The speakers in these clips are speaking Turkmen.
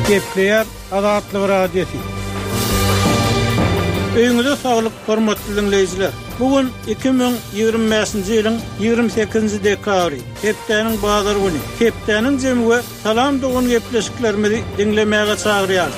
Gepleýär Azatlyk Radiosy. Öýüňize saglyk, hormatly diňleýjiler! Bu gün 2025-nji ýylyň 28-nji dekabry, hepdäniň bazar güni. Hepdäniň jemi we Salam dogan gepleşiklerimizi diňlemäge çagyrýarys.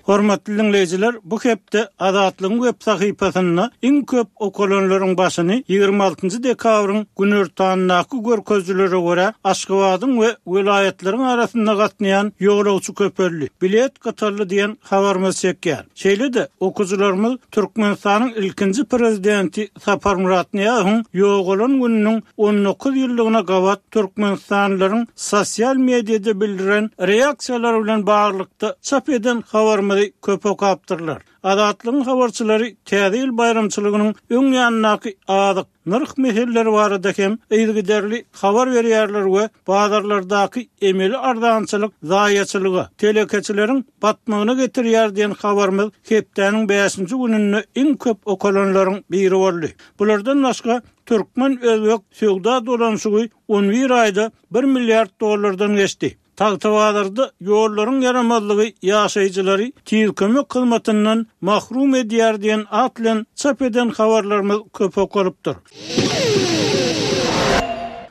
Hormatly diňleýjiler, bu hepde Azatlygyň web sahypasynda iň köp okalanlaryň başyny 26-njy dekabryň günortanyndaky görkezijilere görä, Aşgabadyň we welaýatlaryň arasynda gatnaýan ýolagçy köpeldi, bilet gytaldy diýen habarymyz çekýär. Şeýle-de, okyjylarymyz Türkmenistanyň ilkinji Prezidenti Saparmyrat Nyýazowyň ýogalan gününiň 19 ýyllygyna gabat türkmenistanlylaryň sosial mediada bildiren reaksiýalary bilen baglylykda çap eden habarymyzy köp okapdyrlar. Azatlygyň habarçylary Täze ýyl baýramçylygynyň öň ýanyndaky azyk, nyrh meseleleri barada hem yzygiderli habar berýärler we bazarlardaky emeli arzançylyk zaýaçylyga, telekeçileriň batmagyna getirýär diýen habarymyz hepdäniň bäşinji gününde iň köp okalanlaryň biri boldy. Bulardan başga, türkmen-özbek söwda dolanyşygy on bir aýda bir milliard dollardan geçdi. Tagtabazarda ýollaryň ýaramazlygy ýaşaýjylary tiz kömek hyzmatyndan mahrum edýär diýen at bilen çap eden habarlarymyz köp okalypdyr.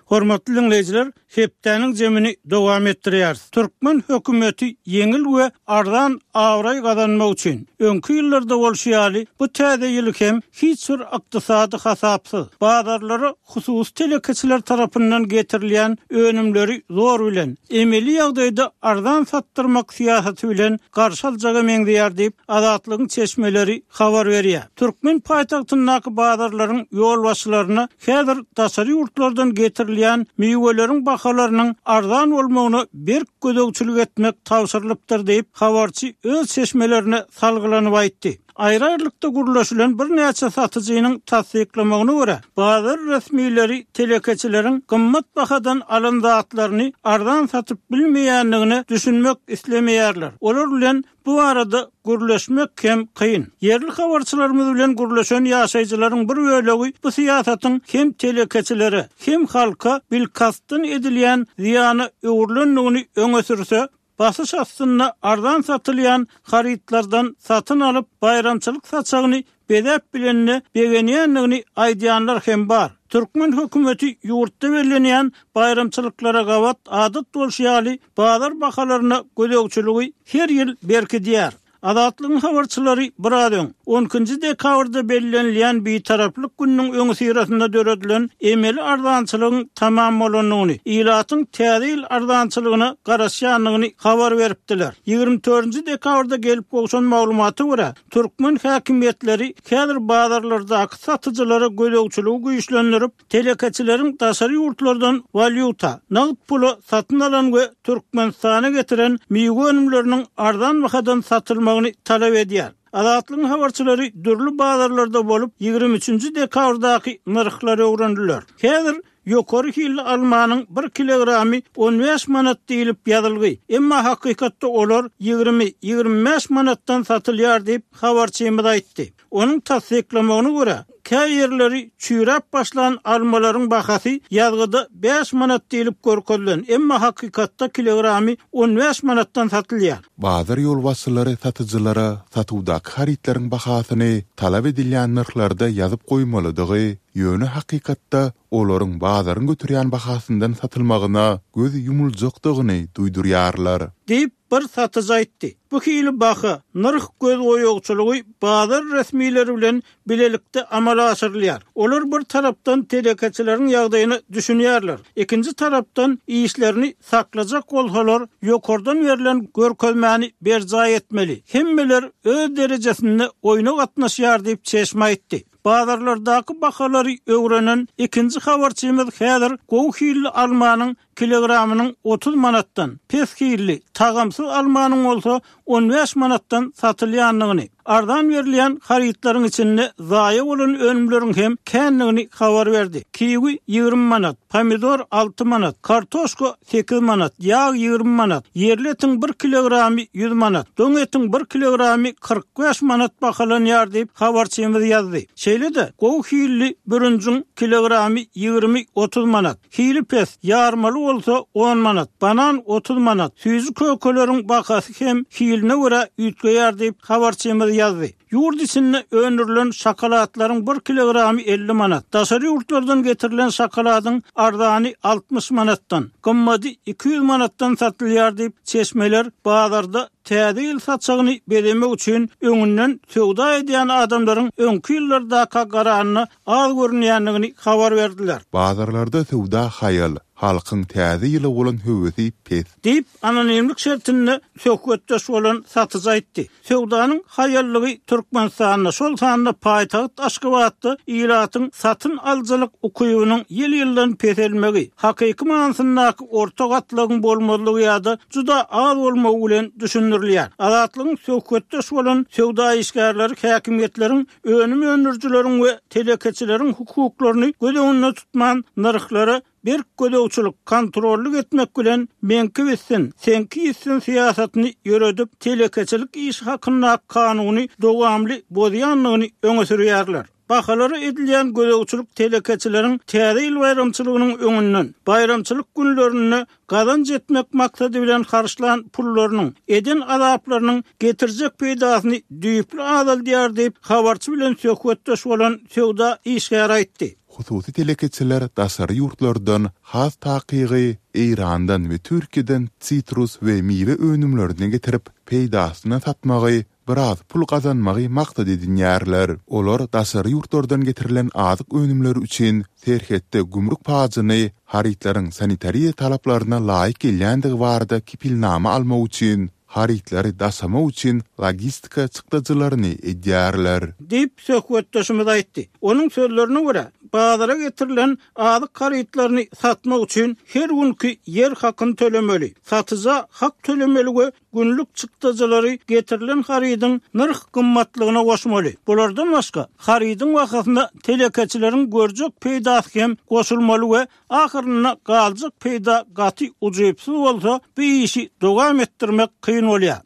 Hormatly diňleýjiler, hepdäniň jemini dowam etdirýäris. Türkmen hökümeti ýeňil we arzan abraý gazanmak üçin, öňki ýyllarda bolşy ýaly, bu täze ýyly hem hiç bir ykdysady hasapsyz, bazarlara hususy telekeçiler tarapyndan getirilýän önümleri zor bilen, emeli ýagdaýda arzan satdyrmak syýasaty bilen garşy aljaga meňzeýär diýip, Azatlygyň çeşmeleri habar berýär. Türkmen paýtagtyndaky bazarlaryň ýolbaşçylaryna häzir daşary ýurtlardan getirilýän miweleriň bahalarynyň arzan bolmagyna berk gözegçilik etmek tabşyrylypdyr diýip, habarçy öz çeşmelerine salgylanyp aýtdy. Aýry-aýrylykda gürleşilen birnäçe satyjynyň tassyklamagyna görä, bazar resmileri telekeçileriň gymmat bahadan alan zatlaryny arzan satyp bilmeýändigine düşünmek islemeýärler. Olar bilen bu barada gürleşmek hem kyn. Ýerli habarçylarymyz bilen gürleşen ýaşaýjylaryň bir bölegi bu syýasatyň hem telekeçilere, hem halka bilkastdan edilýän zyýana öwrülendigini öňe sürse, Basyş astynda arzan satylýan harytlardan satyn alyp, baýramçylyk saçagyny bezäp bilenine begenýändigini aýdýanlar hem bar. Türkmen hökümeti ýurtda bellenýän baýramçylyklara gabat adat bolşy ýaly bazar bahalaryna gözegçiligi her ýyl berkidýär. Azatlygyň habarçylary biraz öň, on ikinji dekabrda bellenilýän Bitaraplyk gününiň öňüsyrasynda döredilen emeli arzançylygyň tamam bolandygyny, ilatyň Täze ýyl arzançylygyna garaşýandygyny habar beripdiler. Ýigrimi dördünji dekabrda gelip gowşan maglumata görä, türkmen häkimiýetleri häzir bazarlardaky satyjylara gözegçiligi güýçlendirip, Telekeçileriň daşary ýurtlardan walýuta, nagt pula satyn alan we Türkmenistana getiren miwe önümleriniň arzan bahadan satylmagyny talap edýär. Azatlygyň habarçylary dürli bazarlarda bolup, ýigrimi üçünji dekabrdaky nyrhlary öwrendiler. Häzir ýokary hilli almanyň bir kilogramy on bäş manat diýlip ýazylgy, emma hakykatda olar ýigrimi, ýigrimi bäş manatdan satylýar diýip, habarçymyz aýtdy. Onuň tassyklamagyna görä, kä ýerleri çüýräp başlan almalaryň bahasy ýazgyda bäş manat diýlip görkezilen, emma hakykatda kilogramy on bäş manatdan satylýar. Bazar ýolbaşçylary satyjylara satuwdaky harytlaryň bahasyny talap edilýän nyrhlarda ýazyp goýmalydygy, ýöne hakykatda olaryň bazaryň göterýän bahasyndan satylmagyna göz ýumuljakdygyny duýdurýarlar. Diýip, bir satyjy aýtdy. Bu hili baha, nyrh gözboýagçylygy bazar resmileri bilen bilelikde amala aşyrylýar. Olar bir tarapdan telekeçileriň ýagdaýyna düşünýärler, ikinji tarapdan işlerini saklajak bolsalar, ýokardan berlen görkezmäni berjaý etmeli. Hemmeler öz derejesinde oýna gatnaşýar diýip, çeşme aýtdy. Bazarlardaky bahalary öwrenen ikinji habarçymyz häzir gowy hilli almanyň kilogramynyň 30 manatdan, pes hilli, tagamsyz almanyň bolsa on bäş manatdan satylýandygyny, Arzan berilýän harytlaryň içinde zaýa bolan önümleriň hem kändigini habar berdi. Kiwi 20 manat, pomidor 6 manat, kartoşka 8 manat, ýag 20 manat, ýerli etiň bir kilogramy 100 manat, doň etiň bir kilogramy 45 manat bahalanýar diýip, habarçymyz ýazdy. Şeýle-de, gowy hilli bürünjiň kilogramy 20-30 manat, Hili pes, ýarmaly bolsa on manat, banan 30 manat, süýji-kökeleriň bahasy hem hiline görä üýtgeýär diýip, habarçymyz ýazdy. Ýurt içinde öndürilen şokoladlaryň bir kilogramy 50 manat, daşary ýurtlardan getirilen şokoladyň arzany 60 manatdan, gymmady 200 manatdan satylýar diýip, çeşmeler bazarda Täze ýyl saçagyny bezemek üçin öňünden söwda edýän adamlaryň öňki ýyllardaka garanda az görünýändigini habar berdiler. Bazarlarda söwda haýal, halkyň täze ýyla bolan höwesi pes. Diýip, anonimlik şertinde söhbetdeş bolan satyjy aýtdy. Söwdanyň haýallygy Türkmenistanda, şol sanda paýtagt Aşgabatda ilatyň satyn alyjylyk ukybynyň ýyl-ýyldan peselmegi, hakyky manysyndaky orta gatlagyň bolmazlygy ýa-da juda az bolmagy bilen düşündirilýär. Azatlygyň söhbetdeş bolan söwda işgärleri häkimiýetleriň önüm öndürijileriň we telekeçileriň hukuklaryny göz öňünde tutman nyrhlara berk gözegçilik, kontrollyk etmek bilen meňki bitsin, seňki ýitsin syýasatyny ýöredip, telekeçilik işi hakyndaky kanuny dowamly bozýandygyny öňe sürýärler. Bahalara edilýän gözegçilik telekeçileriň Täze ýyl baýramçylygynyň öňünden, baýramçylyk günlerinde gazanç etmek maksady bilen harçlan pullarynyň, eden azaplarynyň getirjek peýdasyny düýpli azaldýar diýip, habarçy bilen söhbetdeş bolan söwda işgäri aýtdy. Hususy telekeçiler daşary ýurtlardan, has takygy, Eýrandan we Türkiýeden sitrus we miwe önümlerini getirip, peýdasyna satmagy biraz pul gazanmagy maksat edinýärler. Olar daşary ýurtlardan getirilen azyk önümleri üçin serhetde gümrük pajyny harytlaryň sanitariýa talaplaryna laýyk gelýändigi barada kepilnama almak üçin, harytlary daşamak üçin logistika çykdajylaryny edýärler. Diýip, söhbetdeşimiz aýtdy. Onuň sözlerine görä, bazara getirilen azyk harytlaryny satmak üçin her günki ýer hakyny tölemeli, satyja hak tölemeli we günlük çykdajylary getirilen harydyň nyrh gymmatlygyna goşmaly. Bulardan başga, harydyň bahasyna telekeçileriň görjek peýdasy hem goşulmaly we ahyrynda galjak peýda gaty ujypsyz bolsa, bu işi dowam etdirmek kyn bolýar.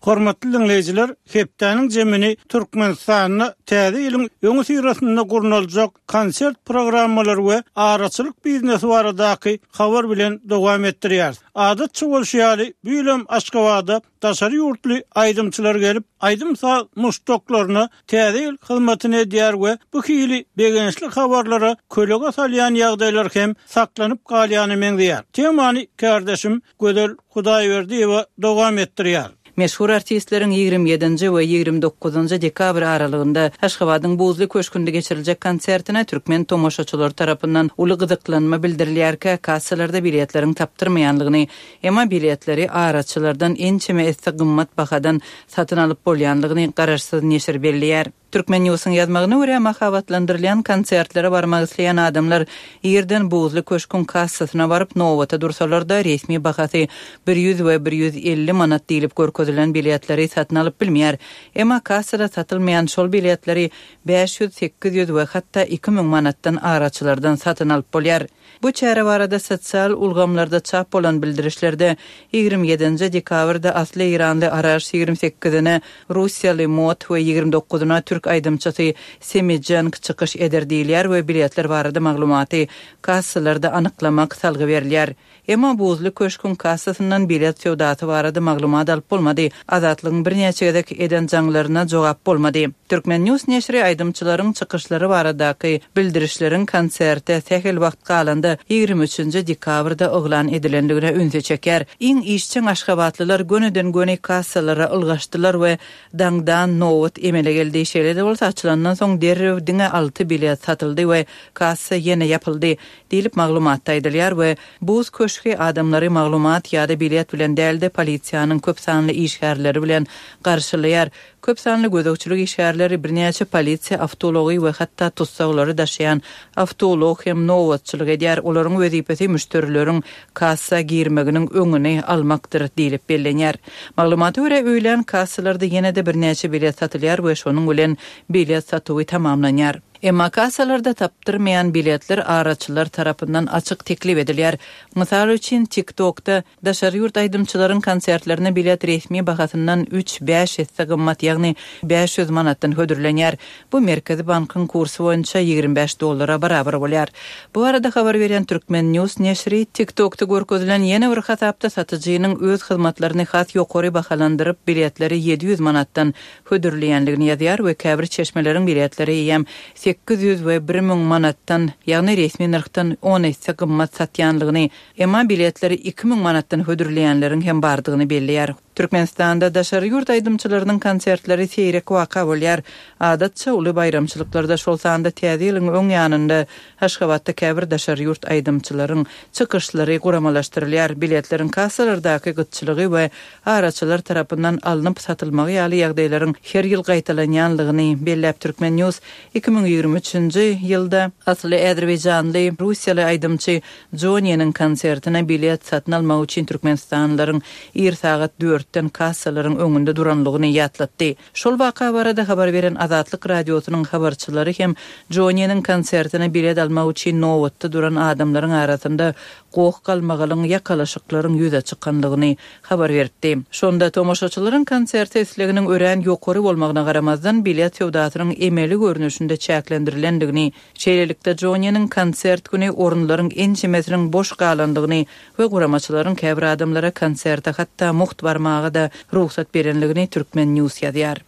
Hormatly diňleýjiler, hepdäniň jemini Türkmenistanda Täze ýylyň öňüsyrasynda gurnaljak konsert programmalary we araçylyk biznesi baradaky habar bilen dowam etdirýäris. Adatça bolşy ýaly, bu ýylam Aşgabada daşary ýurtly aýdymçylar gelip, aýdym-saz muşdaklaryna Täze ýyl hyzmatyny edýär we bu hili begençli habarlara kölege salýan ýagdaýlar hem saklanyp galýana meňzeýär. Temany kärdeşim Gözel Hudaýberdiýewa dowam etdirýär. Meşhur artistleriň 27-nji we 29-njy dekabr aralygynda Aşgabadyň Buzly köşgünde geçiriljek konsertine türkmen tomaşaçylary tarapyndan uly gyzyklanma bildirilýärkä, kassalarda biletleriň tapdyrmaýanlygyny, emma biletleri araçylardan ençeme esse gymmat bahadan satyn alyp bolýanlygyny garaşsyz neşir belleýär. Turkmen Newsiň ýazmagyna görä, mahabatlandyrylýan konsertlere barmak isleýän adamlar irden Buzly köşküň kassasyna baryp, nobata dursalar-da, resmi bahasy 100 we 150 manat diýlip görkezilen biletleri satyn alyp bilmeýär. Emma kassada satylmaýan şol biletleri 500, 800 we hatda 2000 manatdan araçylardan satyn alyp bolýar. Bu çäre barada sosial ulgamlarda çap bolan bildirişlerde 27-nji dekabrda asly eýranly Araş, 28-ine russiýaly Mot we 29-yna türk aýdymçysy Semi Jenk çykyş eder diýilýär we biletler barada maglumaty kassalarda anyklamak salgy berilýär. Emma Buzly köşgüň kassasyndan bilet söwdasy barada maglumat alyp bolmady. Azatlygyň birnäçe gezek eden jaňlaryna jogap bolmady. Turkmen. News neşiri aýdymçylaryň çykyşlary baradaky bildirişleriň konserte sähel wagt galanda, 23-nji dekabrda yglan edilendigine ünsi çekýär. Iň işjeň aşgabatlylar gönüden-göni kassalara ylgaşdylar we daňdan nobat emele geldi. Şeýle-de bolsa, açylandan soň derrew diňe alty bilet satyldy we kassa ýene ýapyldy. Diýlip, maglumatda aýdylýar we Buz köşgi adamlary maglumat ýa-da bilet bilen däl-de, polisiýanyň köp sanly işgärleri bilen garşylaýar. Köp sanly gözegçilik işgärleri, birnäçe polisiýa awtoulagy we hatda tussaglary daşaýan awtoulag hem nobatçylyk edýär. Olaryň wezipesi müşderileriň kassa girmeginiň öňüni almakdyr diýlip bellenýär. Maglumata görä, öýlän kassalarda ýene-de birnäçe bilet satylýar we şonuň bilen bilet satuwy tamamlanýar. Emma kassalarda tapdyrmaýan biletler araçylar tarapyndan açyk teklip edilýär. Mysal üçin, TikTok-da Daşary ýurt aýdymçylaryň konsertlerine bilet resmi bahasyndan üç, bäş esse gymmat, ýagny 500 manatdan hödürlenýär. Bu Merkezi bankyň kursy boýunça 25 dollara barabar bolýar. Bu barada habar berýän Turkmen. News neşiri TikTok-da görkezilen ýene bir hasapda satyjynyň öz hyzmatlaryny has ýokary bahalandyryp, biletleri 700 manatdan hödürleýändigini ýazýar we käbir çeşmeleriň biletleri eýýäm 800 we 1000 manatdan, ýagny resmi nyrhdan on esse gymmat satýanlygyny Emma biletleri 2000 manatdan hödürleýänleriň hem bardygyny belleýär. Türkmenistanda daşary ýurt aýdymçylarynyň konsertleri seýrek waka bolýar. Adatça, uly baýramçylyklarda, şol sanda Täze ýylyň öň ýanynda Aşgabatda käbir daşary ýurt aýdymçylaryň çykyşlary guramalaşdyrylýar. Biletleriň kassalardaky gytçylygy we araçylar tarapyndan alnyp satylmagy ýaly ýagdaýlaryň her ýyl gaýtalanýanlygyny belläp Turkmen. News 2023-nji ýylda asly azerbaýjanly russiýaly aýdymçy Joniýeniň konsertine bilet satyn almak üçin türkmenistanlylaryň ir sagat dörtden kassalaryň öňünde duranlygyny ýatlatdy. Şol waka barada habar beren Azatlyk Radiosynyň habarçylary hem Joniýeniň konsertine bilet almak üçin nobatda duran adamlaryň arasynda goh-galmagalyň, ýakalaşyklaryň ýüze çykanlygyny habar beripdi. Şonda tomaşaçylaryň konserte isleginiň örän ýokary bolmagyna garamazdan, bilet söwdasynyň emeli görnüşinde çäklendirilendigini Şeýlelikde, Joniýeniň konsert güni orunlaryň ençemesiniň boş galandygyny we guramaçylaryň käbir adamlara konserte hatda mugt barmaga-da rugsat berenligini Turkmen. News ýazýar.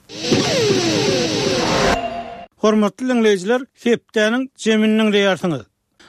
Hormatly diňleýjiler, hepdäniň jemini diňleýärsiňiz.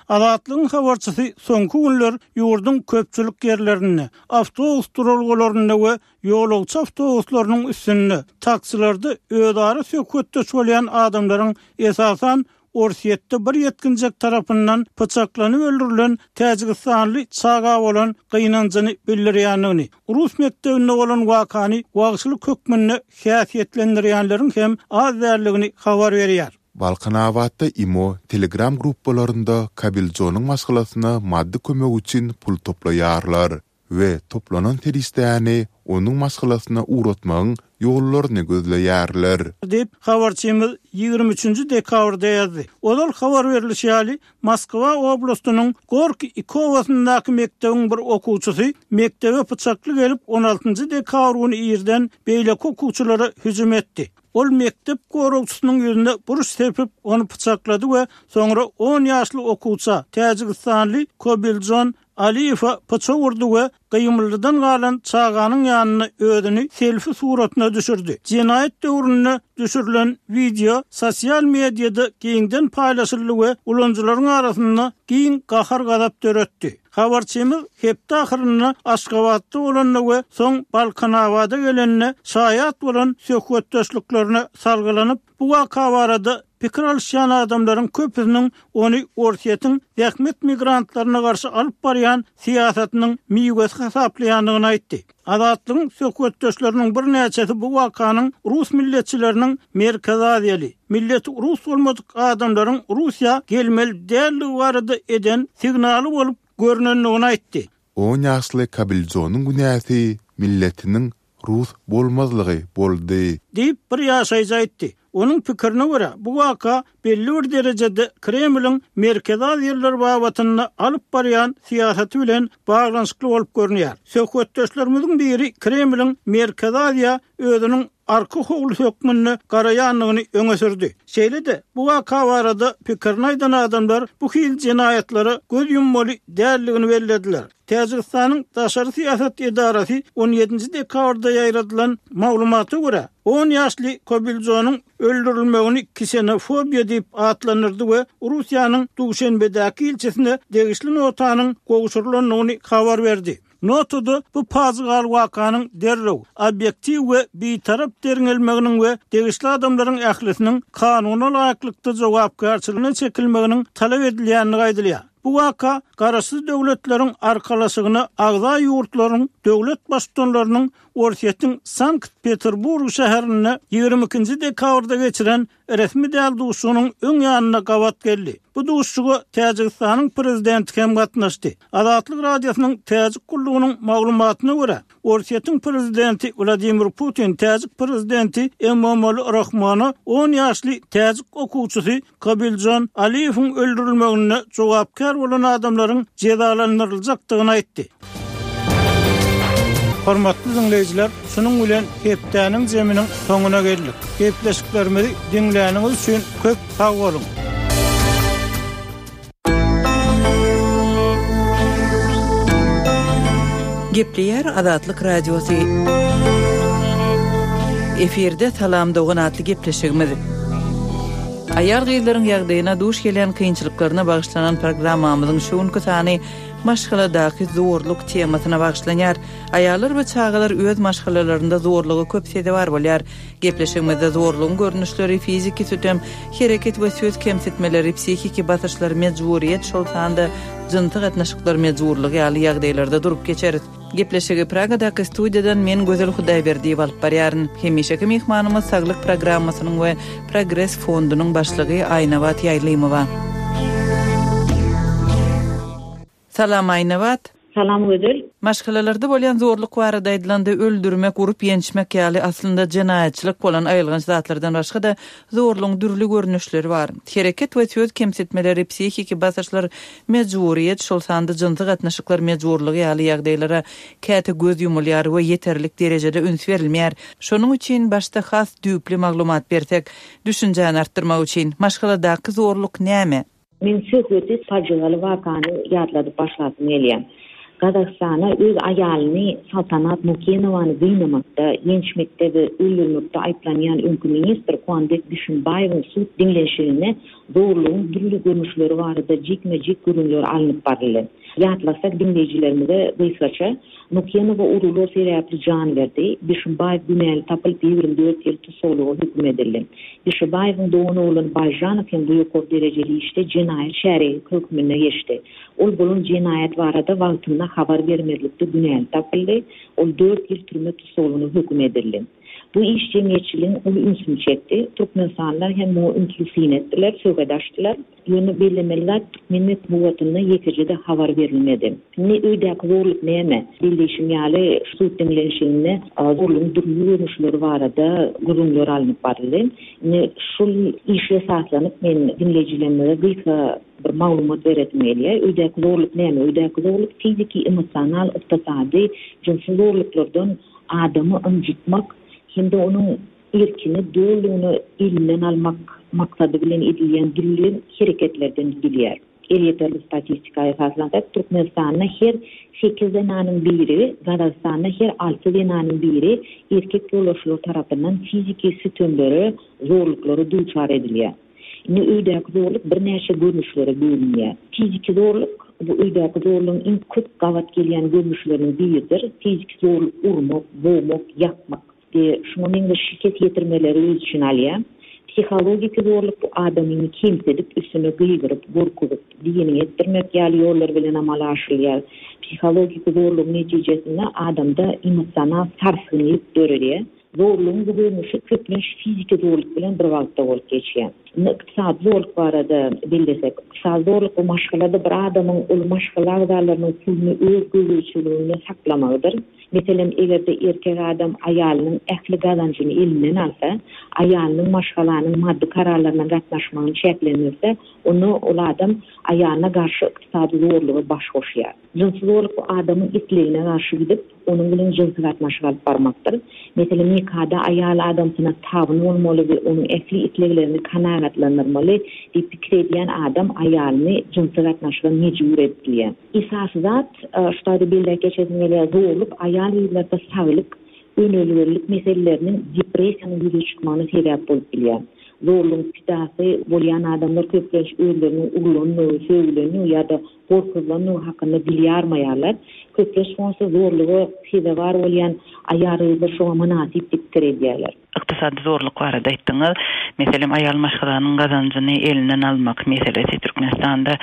Azatlygyň habarçysy soňky günler ýurduň köpçülik ýerlerinde, awtobus duralgalarynda we ýolagçy awtobuslarynyň üstünde, taksilerde özara söhbetdeş bolýan adamlaryň esasan Orsýetde bir ýetginjek tarapyndan pyçaklanyp öldürilen täjigistanly çaga bolan gynanjyny bildirýändigini, rus mekdebinde bolan wakany wagşylyk hökmünde häsiýetlendirýänleriň hem az däldigini habar berýär. Balkanabatda imo, Telegram gruppalarynda Kabiljonyň maşgalasyna maddy kömek üçin pul toplaýarlar. we toplanan serişdäni onuň maşgalasyna ugratmagyň ýollaryny gözleýärler. Diýip, habarçymyz 23 nji dekabrda ýazdy. Ozal habar berlişi ýaly, Moskwa oblastynyň Gorki iki obasyndaky mekdebiň bir okuwçysy mekdebe pyçakly gelip, on altynjy dekabr güni irden beýleki okuwçylara hüjüm etdi. Ol mekdep goragçysynyň ýüzüne buruş sepip, ony pyçaklady we soňra on ýaşly okuwça, täjigistanly Kobiljon Aliýewe pyçak urdy we gymyldydan galan çaganyň ýanynda özüni selfi suratyna düşürdi. Jenaýat döwründe düşürilen wideo sosial mediada giňden paýlaşyldy we ulanyjylaryň arasynda giň gahar-gazap döretdi. Habarçymyz hepde ahyrynda Aşgabatda bolanda we soň Balkanabada gelende şaýat bolan söhbetdeşliklerine salgylanyp, bu waka barada Pikir alyşýan adamlaryň köpüsiniň ony Orsýetiň zähmet migrantlaryna garşy alyp barýan syýasatynyň miwesi hasaplaýandygyny aýtdy. Azatlygyň söhbetdeşleriniň birnäçesi bu wakanyň rus milletçileriniň merkezi aziýaly, milleti rus bolmadyk adamlaryň Russiýa gelmeli däldigi barada eden signaly bolup görnendigini aýtdy. On ýaşly Kabiljonyň günäsi milletiniň rus bolmazlygy boldy. Diýip, bir ýaşaýjy aýtdy. Onuň pikirine görä, bu waka belli bir derejede Kremliň Merkezi Aziýalylar babatynda alyp barýan syýasaty bilen baglanyşykly bolup görünýär. Söhbetdeşlerimiziň biri Kremliň Merkezi Aziýa özüniň arka howlusy hökmünde garaýandygyny öňe sürdi. Şeýle-de, bu waka barada pikirini aýdan adamlar bu hili jenaýatlara göz ýummaly däldigini bellediler. Täjigistanyň daşary syýasat edarasy on ýedinji dekabrda ýaýradylan maglumata görä, on ýaşly Kobiljonyň öldürilmegini ksenofobiýa diýip atlandyrdy we Russiýanyň Duşenbedäki ilçisine degişli notanyň gowşurylandygyny habar berdi. Notada bu pajygaly wakanyň derrew, obýektiw we bitarap derňelmeginiň we degişli adamlaryň ählisiniň kanuna laýyklykda jogapkärçiligine çekilmeginiň talap edilýändigi aýdylýar. Bu waka Garaşsyz Döwletleriň Arkalaşygyna agza ýurtlaryň döwlet Baştutanlarynyň Orsýetiň Sankt-Peterburg şäherinde 22-nji dekabrda geçiren resmi däl duşuşygynyň öň ýanynda gabat geldi. Bu duşuşyga Täjigistanyň Prezidenti hem gatnaşdy. Azatlyk Radiosynyň Täjik gullugynyň maglumatyna görä, Orsýetiň prezidenti Wladimir Putin täjik prezidenti Emomali Rahmona on ýaşly täjik okuwçysy Kobiljon Aliýewiň öldürilmeginde jogapkär bolan adamlaryň jezalandyryljakdygyny aýtdy. Hormatly diňleýjiler, şunuň bilen hepdäniň zeminiň soňuna geldik. Gepleşiklerimizi diňläniňiz üçin köp sag boluň! Gepleýär Azatlyk Radiosy. Efirde Salam dogan atly gepleşigimiz. Aýal-gyzlaryň ýagdaýyna duş gelýän kynçylyklaryna bagyşlanan programmamyzyň şu günki sany maşgaladaky zorluk temasyna bagyşlanýar. Aýallar we çagalar öz maşgalalarynda zorluga köp sezewar bolýar. Gepleşigimizde zorlugyň görnüşleri, fiziki sütem, hereket we söz kemsitmeleri, psihiki basyşlar, mejburyýet, şol sanda jynsy gatnaşyklar mejburlygy ýaly ýagdaýlarda durup geçeris. Gepleşigi Pragadaky studiýadan men Gözel Hudaýberdiýewa alyp barýaryn. Hemişeki myhmanymyz Saglyk programmasynyň we Progres fondunyň başlygy Aýnabat Ýaýlymowa. Salam Aýnabat. Salam Gözel. Maşgalalarda bolýan zorluk barada aýdylanda öldürmek, urup ýençmek ýaly aslynda jenaýatçylyk bolan aýylganç zatlardan başga-da zorlugyň dürli görnüşleri bar. Hereket we söz kemsitmeleri, psihiki basyşlar, mejburyýet, şol sanda jynsy gatnaşyklar mejburlygy ýaly ýagdaýlara käte göz ýumulýar we ýeterlik derejede üns berilmeýär. Şonuň üçin başda has düýpli maglumat bersek, düşünjäni artdyrmak üçin. Maşgaladaky zorluk näme? Men söhbeti pajygaly wakany ýatladyp başlasym gelýär. Gazagystana öz aýalyny Saltanat Nukenowany gynamakda, ýençmekde we öldürmekde aýyplanýan öňki ministr Kuandyk Bişimbaýewiň sud diňlenişiginde zorlugyň dürli görnüşleri barada jikme-jik gürrüňler alnyp baryldy. Ýatlasak diňleýjilerimize gysgaça, Nukenowa uruglar sebäpli jan berdi, Bişimbaýew günäli tapylyp 24 ýyl tussaglyga höküm edildi. Bişibaýewiň doganoglany Baýžanow hem bu ýokary derejeli işde jenaýat şärigi hökmünde geçdi. Ol bolan jenaýat barada wagtynda habar bermezlikde günäli tapyldy, ol dört ýyl türme tussaglygyna höküm edildi. Bu iş jemgyýetçiligiň uly ünsüni çekdi. Türkmenistanlylar hem muňa ünsli syn etdiler, söhbet açdylar. Ýöne bellemeli zat, türkmen metbugatynda ýekeje-de habar berilmedi. Indi öýdäki zorluk näme? Belleýşim ýaly, sud diňlenişiginde zorlugyň dürli görnüşleri barada gürrüňler alnyp baryldy. Indi şol işe esaslanyp, men diňleýjilerimize gysga bir maglumat beresim gelýär. Öýdäki zorluk näme? Öýdäki zorluk fiziki, emosional, ykdysady, jynsy zorluklardan adamy ynjytmak hem-de onuň erkini dolulygyna elinden almak maksady bilen edilýän dürli hereketlerden düzülýär. Elýeterli statistika esaslansak, Türkmenistanda her sekiz zenanyň biri, Gazagystanda her alty zenanyň biri erkek ýolbaşçylary tarapyndan fiziki sütemlere, zorluklara duçar edilýär. Indi öýdäki zorluk birnäçe görnüşlere bölünýär. Fiziki zorluk, bu öýdäki zorlugyň iň köp gabat gelýän görnüşleriniň biridir. Fiziki zorluk urmak, bogmak, ýakmak, We şuňa meňzeş şikes ýetirmeleri öz içine alýar. Psihologiki zorluk bu adamyny kemsidip, üstüne gygyryp, gorkuzyp, diýeniňi etdirmek ýaly ýollar bilen amala aşyrylýar. Psihologiki zorlugyň netijesinde adamda emosional sarsgynlyk döredýär. Zorlugyň bu görnüşi köplenç fiziki zorluk bilen bir wagtda bolup geçýär. Indi ykdysady zorluk barada bellesek, ykdysady zorluk bu maşgalada bir adamyň ol maşgala agzalarynyň puluny öz gözegçiliginde saklamagydyr. Meselem, eger-de erkek adam aýalynyň ähli gazanjyny elinden alsa, aýalynyň maşgalanyň maddy kararlaryna gatnaşmagyny çäklendirse, onda ol adam aýalyna garşy ykdysady zorluga baş goşýar. Jynsy zorluk bu adamyň islegine garşy gidip, onuň bilen jynsy gatnaşyk alyp barmakdyr. Meselem, nikada aýal adamsyna tabyn bolmaly we onuň ähli isleglerini kanagatlandyrmaly diýip pikir edýän adam aýalyny jynsy gatnaşyga mejbur edip bilýär. Esasy zat, şu taýda belläp geçesim gelýär, zorluk aýal-gyzlarda saglyk, önelgelilik meseleleriniň, depressiýanyň ýüze çykmagyna sebäp bolup bilýär. Zorlugyň pidasy bolýan adamlar köplenç özleriniň urlandygy, sögülenligi ýa-da gorkuzylandygy hakynda dil ýarmaýarlar. Köplenç bolsa zorluga sezewar bolýan aýal-gyzlar şoňa mynasyp diýip pikir edýärler. Ykdysady zorluk barada aýtdyňyz. Meselem, aýal maşgalanyň gazanjyny elinden almak meselesi Türkmenistanda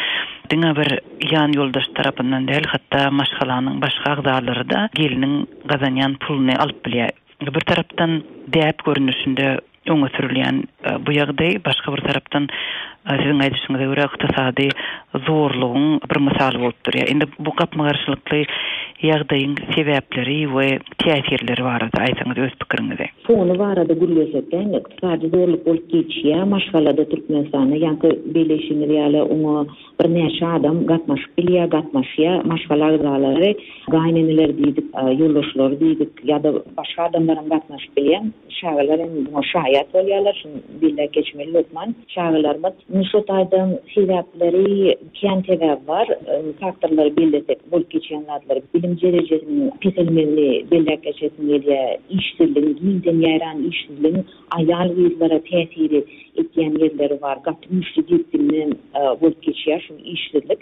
diňe bir ýan ýoldaş tarapyndan däl, hatda maşgalanyň başga agzalary-da gelniň. gazanýan puluny alyp bilýär. Bir tarapdan däp görnüşinde öňe sürülýän bu ýagdaý, başga bir tarapdan siziň aýdyşyňyza görä ykdysady zorlugyň bir mysaly bolup durýar. Indi bu gapma-garşylykly ýagdaýyň sebäpleri we täsirleri barada aýtsaňyz öz pikiriňizi. Fony barada gürlesek-de, indi ykdysady zorluk bolup geçýär maşgalada Türkmenistanda, ýaňky belleýşiňiz ýaly oňa Birnäçe adam gatnaşyp bilýär, gatnaşýar. Maşgala agzalary, gaýyneneler diýdik, ýoldaşlary diýdik ýa-da başga adamlaram gatnaşyp bilýär. Çagalar hem muňa şaýat bolýarlar. Şuny belläp geçmeli hökman. Çagalarymyz indi şo taýdan sebäpleri kän sebäbi bar. Faktorlary bellesek, bolup geçýän zatlary, bilim derejesiniň peselmegini belläp geçesim gelýär. Işsizligiň, giňden ýaýran işsizligiň Aýal-gyzlara täsiri etýän ýerleri bar. Gaty güýçli depginde bolup geçýär şu işsizlik.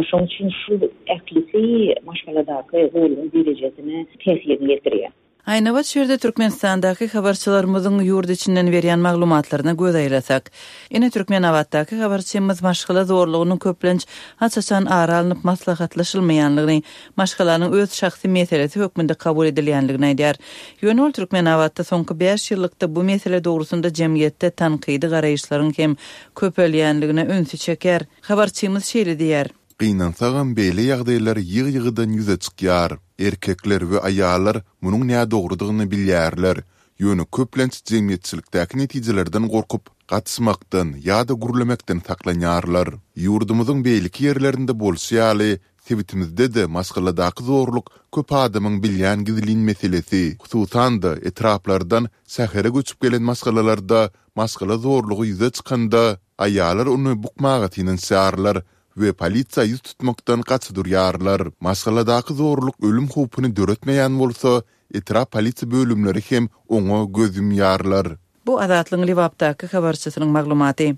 Şonuň üçin şu ählisi maşgaladaky zorlugyň derejesine täsirini ýetirýär. Aýnabat şu ýerde Türkmenistandaky habarçylarymyzyň ýurt içinden berýän maglumatlaryna göz aýlasak. Ine Türkmenabatdaky habarçymyz maşgala zorlugynyň köplenç aç-açan ara alnyp maslahatlaşylmaýanlygyny, maşgalanyň öz şahsy meselesi hökmünde kabul edilýänligini aýdýar. Ýöne ol Türkmenabatda soňky bäş ýyllykda bu mesele dogrusynda jemgyýetde tankydy garaýyşlaryň hem köpelýänligine ünsi çekýär. Habarçymyz şeýle diýýär. Gynansagam beýle ýagdaýlar ýygy-ýygydan ýüze çykýar. Erkekler we aýallar munuň nädogrudygyny bilýärler, ýöne köplenç jemgyýetçilikdäki netijelerden gorkup, gatyşmakdan ýa-da gürlemekden saklanýarlar. Ýurdumyzyň beýleki ýerlerinde bolşy ýaly, Sebitimizde-de maşgaladaky zorluk köp adamyň bilýän gizlin meselesi. Hususan-da, etraplardan şähere göçüp gelen maşgalalarda maşgala zorlugy ýüze çykanda, aýallar ony bukmaga synanyşýarlar we polisiýa ýüz tutmakdan gaça durýarlar. Maşgaladaky zorluk ölüm howpuny döretmeýän bolsa, etrap polisiýa bölümleri hem oňa göz ýumýarlar. Bu Azatlygyň Lebapdaky habarçysynyň maglumaty.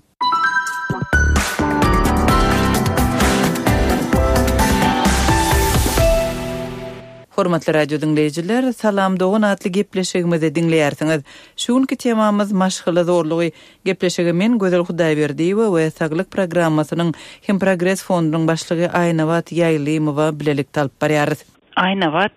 Hormatly radio diňleýjiler, Salam dogan atly gepleşigimizi diňleýärsiňiz. Şu günki temamyz maşgala zorlugy. Gepleşigi men Gözel Hudaýberdiýewa we Saglyk programmasynyň hem Progres fondunyň başlygy Aýnabat Ýaýlymowa bilelikde alyp barýarys. Aýnabat,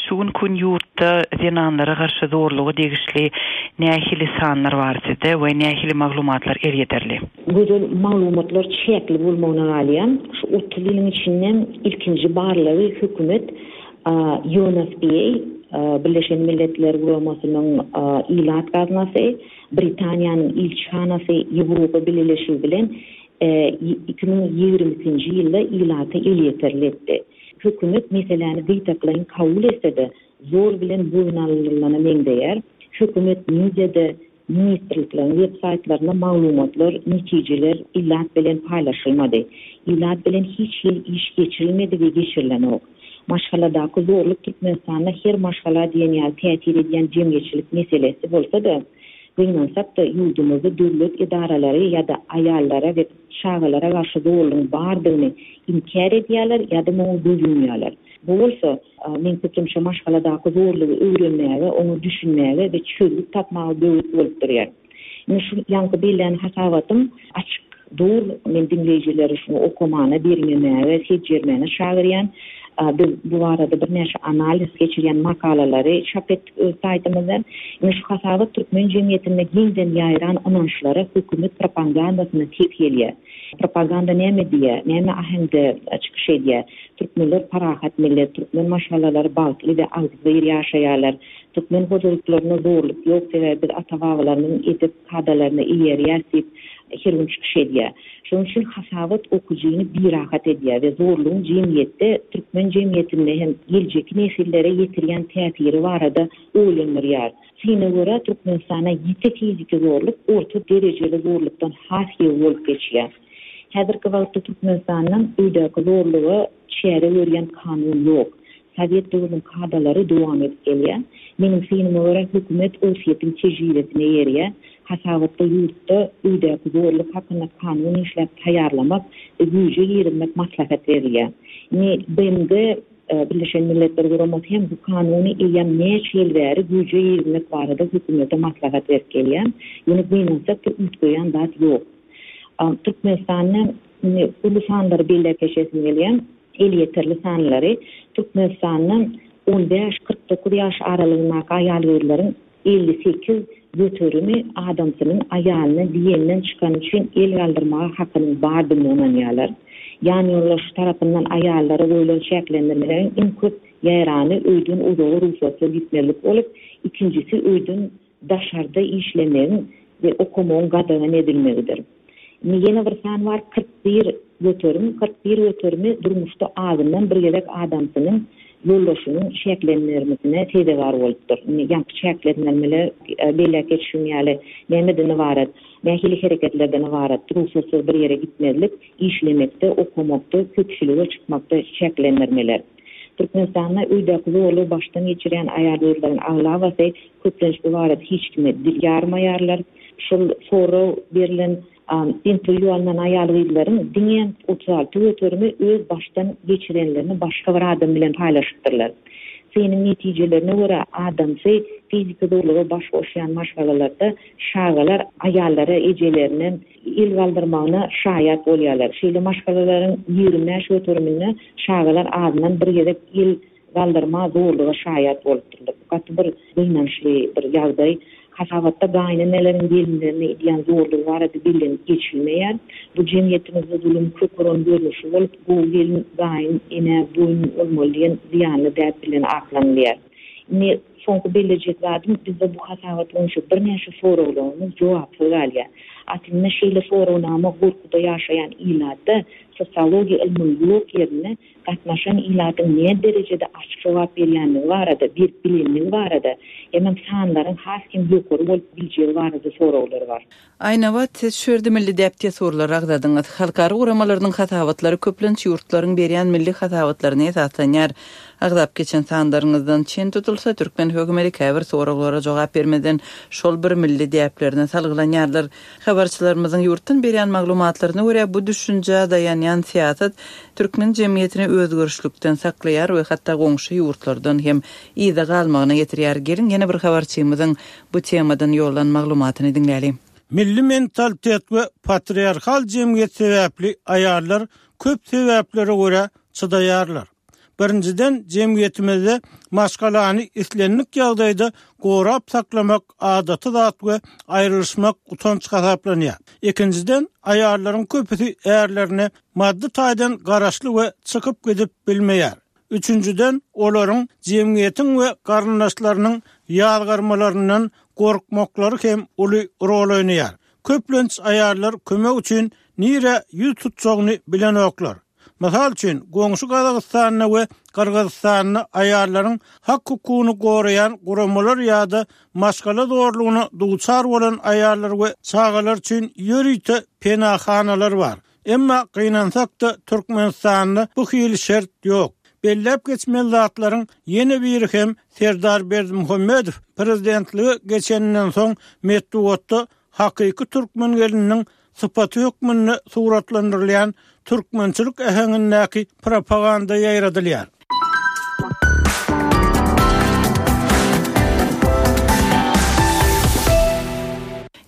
Şu günki gün ýurtda zenanlara garşy zorluga degişli nähili sanlar bar sizde we nähili maglumatlar elýeterli? Gözel maglumatlar çäkli bolmagyna galýar. Şu 30 ýylyň içinde ilkinji barlagy hökümet UNFPA, Birleşen Milletler Guramasynyň Ilat gaznasy, Britaniýanyň ilçihanasy, Ýewropa Bileleşigi bilen 2022-nji ýylda ilata elýeterli etdi. Hökümet meseläni gytaklaýyn kabul etse-de, zor bilen boýun alynylana meňzeýär. Hökümet mediada, ministrlikleriň web saýtlarynda maglumatlar, netijeler ilat bilen paýlaşylmady. Ilat bilen hiç hili iş geçirilmedi we geçirilenok. Maşgaladaky zorluk Türkmenistanda her maşgala diýen ýaly täsir edýän jemgyýetçilik meselesi bolsa-da, gynansak-da, ýurdumyzda döwlet edaralary ýa-da aýallara we çagalara garşy zorlugyň bardygyny inkär edýärler ýa-da muňa göz ýumýarlar. Bu bolsa, meň pikirimçe, maşgaladaky zorlugy öwrenmäge, oňa düşünmäge we çözgüt tapmaga böwet bolup durýar. Indi şu ýaňky bellän hasabatym açyk dur, men diňleýjileri şuny okamana, derňemäge, seljermäne çagyrýan. Biz bu barada birnäçe analiz geçirýän makalalary çap etdik öz saýtymyzda. Indi şu hasabat türkmen jemgyýetinde giňden ýaýran ynançlara hökümet propagandasyna ters gelýär. Propaganda näme diýýär, näme aheňde çykyş edýär? Türkmenler parahat millet, türkmen maşgalalary bagtly we agzybir ýaşaýarlar. Türkmen hojalyklarynda zorluk ýok, sebäbi biz ata-babalarymyzyň edep kadalaryna eýerýäris diýip, her gün çykyş edýär. Şonuň üçin hasabat okyjyny birahat edýär we zorlugyň jemgyýetde, türkmen jemgyýetinde hem geljekki nesillere ýetirýän täsiri barada oýlandyrýar. Syna görä, Türkmenistanda ýiti fiziki zorluk orta derejeli zorlukdan has ýygy bolup geçýär. Häzirki wagtda Türkmenistanda öýdäki zorluga çäre görýän kanun ýok. Sowet döwrüniň kadalary dowam edip gelýär. Meniň synyma görä, hökümet Orsýetiň tejribesine eýerýär. Hasabatda ýurtda öýdäki zorluk hakynda kanun işläp taýýarlamak we güýje girizmek maslahat berilýär. Indi BMG, Birleşen Milletler Guramasy hem bu kanuny eýýäm näçe ýyl bäri güýje girizmek barada hökümete maslahat berip gelýär. Ýöne gynansak-da üýtgeýän zat ýok. Türkmenistanda indi uly sanlary belläp geçesim gelýär. Elýeterli sanlary Türkmenistanda. On bäş, 49 ýaş aralygyndaky aýal-gyzlaryň 58 göterimi adamsynyň aýalyna diýenden çykany üçin el galdyrmaga hakynyň bardygyna ynanýarlar. Ýanýoldaşy tarapyndan aýallara goýlan çäklendirmeleriň iň köp ýaýrany öýden uzaga rugsatsyz gitmezlik bolup, ikinjisi öýden daşarda işlemegiň we okamagyň gadagan edilmegidir. Indi ýene bir san bar, 41%, 41 göterimi durmuşda azyndan bir gezek adamsynyň, ýoldaşynyň çäklendirmesine sezewar bolupdyr. Indi ýaňky çäklendirmeler belläp geçişim ýaly nämeden ybarat, nähili hereketlerden ybarat, rugsatsyz bir ýere gitmezlik, işlemekde, okamakda, köpçülige çykmakda çäklendirmeler. Türkmenistanda öýdäki zorlugy başdan geçirýän aýal-gyzlaryň aglabasy köplenç bu barada hiç kime dil ýarmaýarlar. Şol sorag berlen interwýu alnan aýal-gyzlaryň diňe 36 göterimi öz başdan geçirenlerini başga bir adam bilen paýlaşypdyrlar. Synyň netijelerine görä, adamsy fiziki zorluga baş goşýan maşgalalarda çagalar aýallara ejelerine el galdyrmagyna şaýat bolýarlar. Şeýle maşgalalaryň 25 göteriminde çagalar azyndan bir gezek el galdyrma zorluga şaýat bolupdyrlar. Bu gaty bir gynançly bir ýagdaý. Hasabatda gaýyneneleriň gelinlerine edýän zorlugy barada bellenip geçilmeýär. Bu jemgyýetimizde zulum kök uran görnüşi bolup, gowy gelin gaýyn enä boýun bolmaly diýen zyýanly däp bilen aklanylýar. Indi soňky bellejek zadym, bizde bu hasabat boýunça birnäçe soraglarymyz jogapsyz galýar. Aslynda şeýle soragnama gorkuda ýaşaýan ilatda sosiologiýa ylmynyň ýok ýerinde gatnaşan ilatyň nä derejede açyk jogap berýänligi barada, berip bilenligi barada hemem sanlaryň has hem ýokary bolup biljegi barada soraglar bar. Aýnabat, siz şu ýerde milli däp-dessurlary agzadyňyz. Halkara guramalarynyň hasabatlary köplenç ýurtlaryň berýän milli hasabatlaryna esaslanýar. Agzap geçen sanlaryňyzdan çen tutulsa, türkmen hökümeti käbir soraglara jogap bermezden şol bir milli däplerine salgylanýarlar. Habarçylarymyzyň ýurtdan berýän maglumatlaryna görä, bu düşünjä daýanýan syýasat türkmen jemgyýetini özgerişlikden saklaýar we hatda goňşy ýurtlardan hem yza galmagyna getirýär. Geliň, ýene bir habarçymyzyň bu temadan ýollan maglumatyny diňläliň. Milli mentalitet we patriarhal jemgyýet sebäpli aýallar köp sebäplere görä çydaýarlar. Birinjiden, jemgyýetimizde maşgalany islendik ýagdaýda gorap saklamak adaty zat we aýrylyşmak utanç hasaplanýar. Ikinjiden, aýallaryň köpüsi ärlerine maddy taýdan garaşly we çykyp gidip bilmeýär. Üçünjiden, olaryň jemgyýetiň we garyndaşlarynyň ýazgarmalaryndan gorkmaklary hem uly rol oýnaýar. Köplenç aýallar kömek üçin nirä ýüz tutjagyny bilenoklar. Mysal üçin, goňşy Gazagystanda we Gyrgyzystanda aýallaryň hak-hukugyny goraýan guramalar ýa-da maşgala zorlugyna duçar bolan aýallar we çagalar üçin ýörite penahanalar bar. Emma gynansak-da, Türkmenistanda bu hili şert ýok. Belläp geçmeli zatlaryň ýene biri hem Serdar Berdimuhamedow prezidentlige geçeninden soň metbugatda hakyky türkmen gelininiň sypaty hökmünde suratlandyrylýan türkmençilik äheňindäki propaganda ýaýradylýar.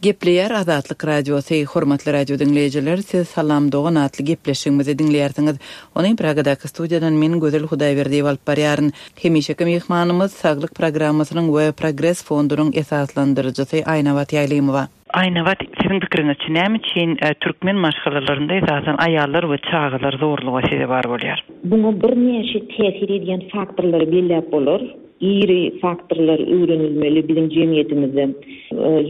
Gepleýär Azatlyk Radiosy, Hormatly radio diňleýjiler, siz Salam dogan atly gepleşigimizi diňleýärsiňiz. Ony Pragadaky studiýadan men Gözel Hudaýberdiýewa alyp barýaryn. Hemişeki myhmanymyz Saglyk programmasynyň we Progres fondunyň esaslandyryjysy Aýnabat Ýaýlymowa. Aýnabat, siziň pikiriňizçe näme üçin türkmen maşgalalarynda esasan aýallar we çagalar zorluga sezewar bolýar? Muňa birnäçe täsir edýän faktorlary belläp bolar. Iri faktorlar öwrenilmeli biziň jemgyýetimizde.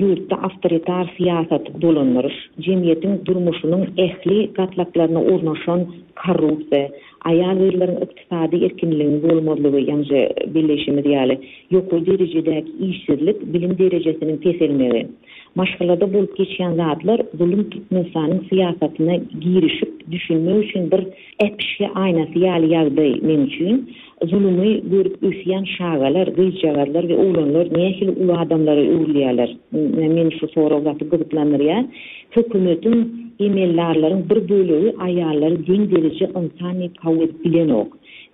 Ýurtda awtoritar syýasaty dolandyryş, jemgyýetiň durmuşynyň ähli gatlaklaryna ornaşan korrupsiýa, aýal-gyzlaryň ykdysady erkinliginiň bolmazlygy, ýaňja belleýşimiz ýaly, ýokary derejedäki işsizlik, bilim derejesiniň peselmegi. Maşgalada bolup geçýän zatlar zulum Türkmenistanyň syýasatyna girişip düşünmek üçin bir äpişge aýnasy ýaly ýagdaý meň üçin. Zulumy görüp ösýän çagalar, gyzjagazlar we oglanlar nähili uly adamlara öwrülýärler? Meni şu sorag gaty gyzyklandyrýar. Hökümetiň, emeldarlaryň bir bölegi aýallary deň dereje ynsan diýip kabul edip bilenok.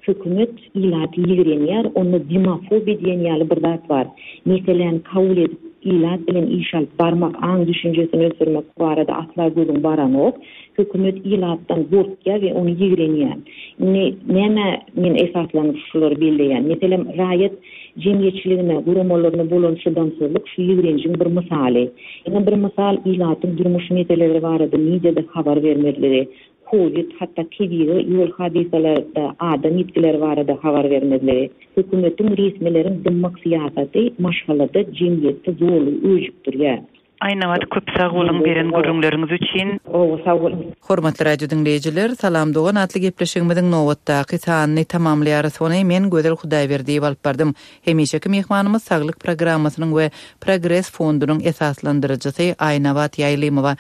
Hökümet ilaty ýigrenýär, onda demofobiýa diýen ýaly bir zat bar. Meseläni kabul edip. Ilat bilen iş alyp barmak, aň-düşünjesini ösdürmek barada asla gözüň baranok. Hökümet ilatdan gorkýar we ony ýigrenýär. Indi nämä men esaslanyp şulary belleýän? Meselem, raýat jemgyýetçiligine, guramalaryna bolan çydamsyzlyk şu ýigrenjiň bir mysaly. Ýene bir mysal, ilatyň durmuş meseleleri barada mediada habar bermezligi, kowid, hatda tebigy ýol hadysalarda adam ýitgileri barada habar bermezligi. Hökümetiň, resmileriň dymmak syýasaty maşgalada, jemgyýetde zorlugy öjükdirýär. Aýnabat köp sag boluň beren gürrüňleriňiz üçin. Gowy sag boluň. Hormatly radio diňleýjiler, Salam dogan atly gepleşigimiziň nobatdaky sanyny tamamlaýarys. Ony men Gözel Hudaýberdiýewa alyp bardym. Hemişeki myhmanymyz Saglyk programmasynyň we Progres fondunyň esaslandyryjysy Aýnabat Ýaýlymowa.